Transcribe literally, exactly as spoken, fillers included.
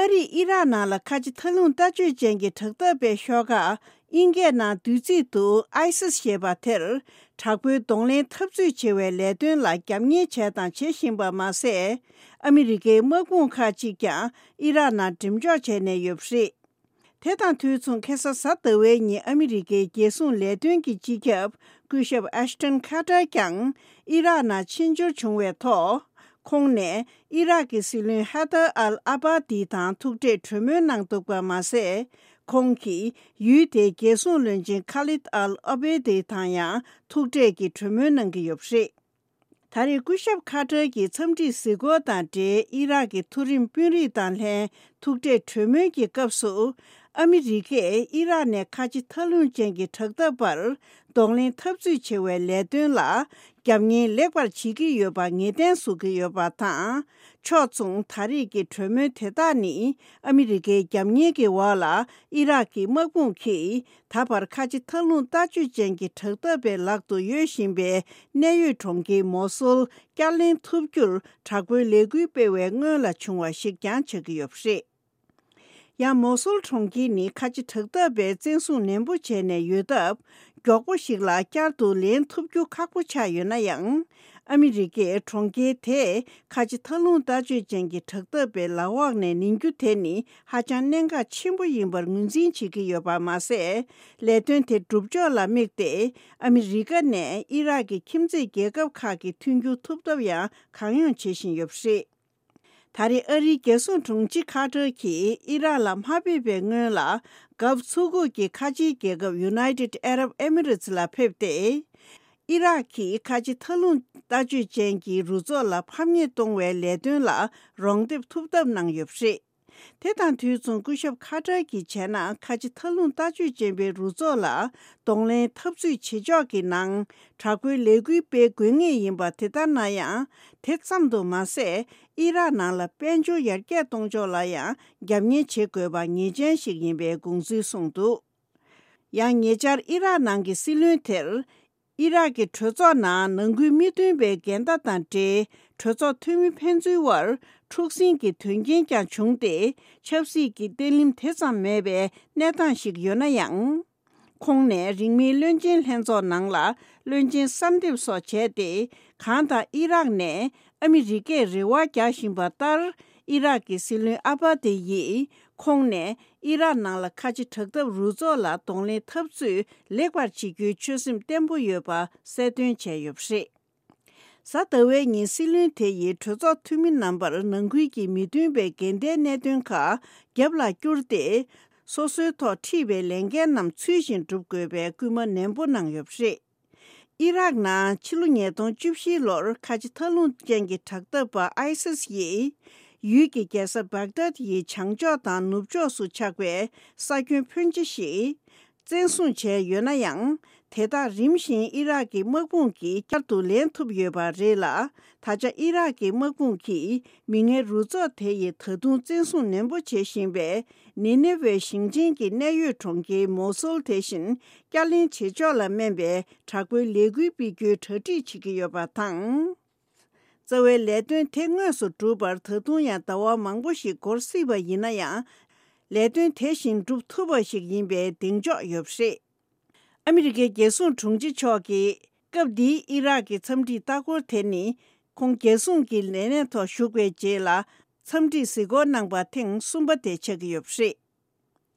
རིས་ཨི་རག་ནང་ལ་ཁ་ཆེ་མཐའ་ལྷུང་ལྟ་སྤྱོད་ཅན་གྱི་དྲག་འཐབ་པའི་ཤོག་ཁག་དབྱིན་སྐད་ནང་བསྡུས་ཚིག་ཏུ་ཨའི་སིས་ཞེས་པ་དེར་དྲག་པོའི་གདོང་ལེན་འཐབ་རྩོད་བྱེད་པའི་ལས་དོན་ལ་རྒྱབ་གཉེར་བྱས་དང་བྱེད་བཞིན་པ་མ་ཟད། ཨ་མི་རི་ཀའི་དམག་དཔུང་ཁག་ཅིག་ཀྱང་ཨི་རག་ནང་འགྲེམས་འཇོག་བྱས་ནས་ཡོད་པ་རེད། དེ་དང་དུས་མཚུངས་ཁ་སང་གཟའ་ཟླ་བའི་ཉིན་ཨ་མི་རི་ཀའི་རྒྱལ་སྲུང་ལས་དོན་གྱི་སྤྱི་ཁྱབ་སྐུ་ཞབས་ཨེཤ་ཊོན་ཁ་ཏར་ཀྱང་ཨི་རག་ནང་ཕྱིར་འབྱོར་བྱུང་བའི་ཐོག་ཁོང་ནས་ཨི་རག་གི་སྲིད་བློན་ཧ་དར་ཨལ་ཨ་བྷ་དི་དང་ཐུག་འཕྲད་གྲོས་མོལ་གནང་འདུག་པ་མ་ཟད། ཁོང་གིས་ཡུལ་དེའི་རྒྱལ་སྲུང་བློན་ཆེན་ཁ་ལིད་ཨལ་ཨ་བྷེ་དི་དང་ཡང་ཐུག་འཕྲད་ཀྱི་གྲོས་མོལ་གནང་གི་ཡོད་པ་རེད། ད་རེས་སྐུ་ཞབས་ཁ་ཏར་གྱི་འཚམས་འདྲིའི་གཟིགས་སྐོར་དང་འབྲེལ་ཨི་རག་གི་མཐོ་རིམ་དཔོན་རིགས་དང་ལྷན་ཐུག་འཕྲད་གྲོས་མོལ་གྱི་སྐབས་སུ། ཨ་མི་རི་ཀས་ཨི་རག་ནས་ཁ་ཆེ་མཐའ་ལྷུང་ཅན་གྱི་དྲག་འཐབ་པར་གདོང་ལེན་འཐབ་རྩོད་བྱེད་པའི་ལས་དོན་ལ་རྒྱབ་གཉེར་ལེགས་པར་བྱེད་ཀྱི་ཡོད་པ་ངེས་གཏན་བཟོ་གི་ཡོད་པ་དང་། ཕྱོགས་མཚུངས་ད་རེས་ཀྱི་གྲོས་མོལ་དེ་དག་ནི་ཨ་མི་རི་ཀའི་རྒྱབ་གཉེར་གྱི་འོག་ལ་ཨི་རག་གི་དམག་དཔུང་གིས་ད་བར་ཁ་ཆེ་མཐའ་ལྷུང་ལྟ་སྤྱོད་ཅན་གྱི་དྲག་འཐབ་པའི་ལག་ཏུ་ཡོད་བཞིན་པའི་གནད་ཡོད་གྲོང་ཁྱེར་མོ་སོལ་བསྐྱར་ལེན་ཐུབ་རྒྱུར་དྲག་པོའི་ལས་འགུལ་སྤེལ་བའི་སྔོན་ལ་བྱུང་བ་ཞིག་ཀྱང་ཆགས་ཀྱི་ཡོད་པ་རེད། ཡང་མོ་སོལ་གྲོང་ཁྱེར་ནི་ཁ་ཆེ་དྲག་འཐབ་པས་བཙན་བཟུང་ནན་པོ་བྱས་ནས་ཡོད་སྟབས། མགྱོགས་པོ་ཞིག་ལ་བསྐྱར་དུ་ལེན་ཐུབ་རྒྱུ་ཁག་པོ་ཆགས་ཡོད་ན་ཡང་། ཨ་མི་རི་ཀས་གྲོང་ཁྱེར་དེ་ཁ་ཆེ་མཐའ་ལྷུང་ལྟ་སྤྱོད་ཅན་གྱི་དྲག་འཐབ་པའི་ལག་འོག་ནས་ལེན་རྒྱུ་དེ་ནི་ཧ་ཅང་གནད་འགག་ཆེན་པོ་ཡིན་པར་ངོས་འཛིན་བྱེད་ཀྱི་ཡོད་པ་མ་ཟད། ལས་དོན་དེ་སྒྲུབ་ཕྱོགས་ལ་དམིགས་ཏེ་ཨ་མི་རི་ཀ་ནས་ཨི་རག་གི་ཁྱིམ་མཚེས་རྒྱལ་ཁབ་ཁག་གི་མཐུན་འགྱུར་ཐུབ་ཐབས་ཡང་གང་ཡོང་བྱེད་བཞིན་ཡོད་པ་རེད། ད་རེས་ཨ་རིའི་རྒྱལ་སྲུང་དྲུང་ཆེ་ཁ་ཏར་གྱིས་ཨི་རག་ལ་མ་ཕེབས་པའི་སྔོན་ལ། རྒྱབ་ཚུགས་འགོ་གི་ཁ་ཆེའི་རྒྱལ་ཁབ་United Arab Emirates ལ་ཕེབས་ཏེ། ཨི་རག་གིས་ཁ་ཆེ་མཐའ་ལྷུང་ལྟ་སྤྱོད་ཅན་གྱི་རུ་ཚོགས་ལ་ཕམ་ཉེས་གཏོང་བའི་ལས་དོན་ལ་རོགས་འདེགས་ཐུབ་ཐབས་གནང་ཡོད་པ་རེད། དེ་དང་དུས་མཚུངས་སྐུ་ཞབས་ཁ་ཏར་གྱིས་བྱས་ན་ཁ་ཆེ་མཐའ་ལྷུང་ལྟ་སྤྱོད་ཅན་པའི་རུ་ཚོགས་ལ་གདོང་ལེན་འཐབ་རྩོད་བྱེད་ཕྱོགས་ཀྱི་ནང་དྲག་པོའི་ལས་འགུལ་སྤེལ་དགོས་ངེས་ཡིན་པ་དེ་ལྟར་ན་ཡང་། དེ་ཙམ་དུ་མ་ཟད། ཨི་རག་ནང་ལ་དཔལ་འབྱོར་ཡར་རྒྱས་གཏོང་ཕྱོགས་ལ་ཡང་རྒྱབ་གཉེར་བྱེད་དགོས་པ་ངེས་ཅན་ཞིག་ཡིན་པའི་དགོངས་ཚུལ་གསུངས་འདུག་ཡང་ཉེ་ཆར་ཨི་རག་ནང་གི་སྲིད་བློན་དེར། ཨི་རག་གི་གྲོས་ཚོགས་ནང་ནང་ཁུལ་མི་མཐུན་པའི་འགལ་ཟླ་དང་འབྲེལ་གྲོས་ཚོགས་འཐུས་མི་ཕན་ཚུན་དབར་འཁྲུག་ཟིང་གི་དོན་རྐྱེན་ཀྱང་བྱུང་སྟེ། ཆབ་སྲིད་ཀྱི་བརྟན་ལྷིང་དེ་ཙམ་མེད་པའི་གནས་སྟངས་ཤིག་ཡོད་ན་ཡང་། ཁོང་ནས་རིང་མིན་བློན་ཆེན་ལྷན་ཚོགས་ནང་ལ་བློན་ཆེན་གསར་འདེབས་སོགས་བྱས་ཏེ། གང་ལྟར་ཨི་རག་ནས་ཨ་མི་རི་ཀས་རེ་བ་རྒྱག་བཞིན་པ་ལྟར། ཨི་རག་གི་སྲིད་བློན་ཨ་བྷ་དེ་ཡིས་ཁོང་ནས་ཨི་རག་ནང་ལ་ཁ་ཆེ་དྲག་འཐབ་རུ་ཚོགས་ལ་གདོང་ལེན་འཐབ་རྩོད་ལེགས་པར་བྱེད་རྒྱུའི་ཆོད་སེམས་བརྟན་པོ་ཡོད་པ་གསལ་སྟོན་བྱས་ཡོད་པ་རེད། གཟའ་ཟླ་བའི་ཉིན་སྲིད་བློན་དེ་ཡིས་གྲོས་ཚོགས་འཐུས་མི་རྣམ་པར་ནང་ཁུལ་གྱི་མི་མཐུན་པའི་འགལ་ཟླའི་གནད་དོན་ཁག་རྒྱབ་ལ་བསྐྱུར་ཏེ། སོ་སོའི་ཐོག་ཁྲིད་པའི་ལས་འགན་རྣམས་ཚུལ་བཞིན་སྒྲུབ་དགོས་པའི་སྐུལ་མ་ནན་པོ་གནང་ཡོད་པ་རེད། ཨི་རག་ནང་ཕྱི་ལོ་ཉིས་སྟོང་བཅུ་བཞི་ལོར་ཁ་ཆེ་མཐའ་ལྷུང་ཅན་གྱི་དྲག་འཐབ་པ་ཨའི་སིས་ཡིས། ཡུལ་གྱི་རྒྱལ་ས་བྷག་དཱད་ཡི་བྱང་ཕྱོགས་དང་ནུབ་ཕྱོགས་སུ་ཆགས་པའི་ས་ཁྱོན་ཕོན་ཆེ་ཞིག་བཙན་བཟུང་བྱས་ཡོད་ན་ཡང་། དེ་དག་རིམ་བཞིན་ཨི་རག་གི་དམག་དཔུང་གིས་བསྐྱར་དུ་ལེན་ཐུབ་ཡོད་པ་རེད་ལ། ད་ཆ་ཨི་རག་གི་དམག་དཔུང་གིས་མི་ངན་རུ་ཚོགས་དེ་ཡི་ད་དུང་བཙན་བཟུང་ནན་པོ་བྱེད་བཞིན་པའི་ནི་ནེ་ཝེ་ཞིང་ཆེན་གྱི་གནད་ཡོད་གྲོང་ཁྱེར་མོ་སོལ་དེ་བཞིན་བསྐྱར་ལེན་བྱེད་ཕྱོགས་ལ་སྨན་པའི་དྲག་པོའི་ལས་འགུལ་སྤེལ་རྒྱུའི་གྲ་སྒྲིག་བྱེད་ཀྱི་ཡོད་པ་དང་། རྩ་བའི་ལས་དོན་དེ་དངོས་སུ་སྒྲུབ་པར་ད་དུང་ཡང་ཟླ་བ་མང་པོ་ཞིག་འགོར་སྲིད་པ་ཡིན་ན་ཡང་། ལས་དོན་དེ་བཞིན་སྒྲུབ་ཐུབ་པ་ཞིག་ཡིན་པའི་གདེང་འཇོག་ཡོད་པ་རེད། ཨ་མི་རི་ཀའི་རྒྱལ་སྲུང་དྲུང་ཆེ་མཆོག་གིས་སྐབས་འདིའི་ཨི་རག་གི་འཚམས་འདྲིའི་ལྟ་སྐོར་དེ་ནི། ཁོང་རྒྱལ་སྲུང་གི་ལས་གནས་ཐོག་ཞུགས་པའི་རྗེས་ལ་འཚམས་འདྲིའི་གཟིགས་སྐོར་གནང་པ་ཐེངས་གསུམ་པ་དེ་ཆགས་ཀྱི་ཡོད་པ་རེད།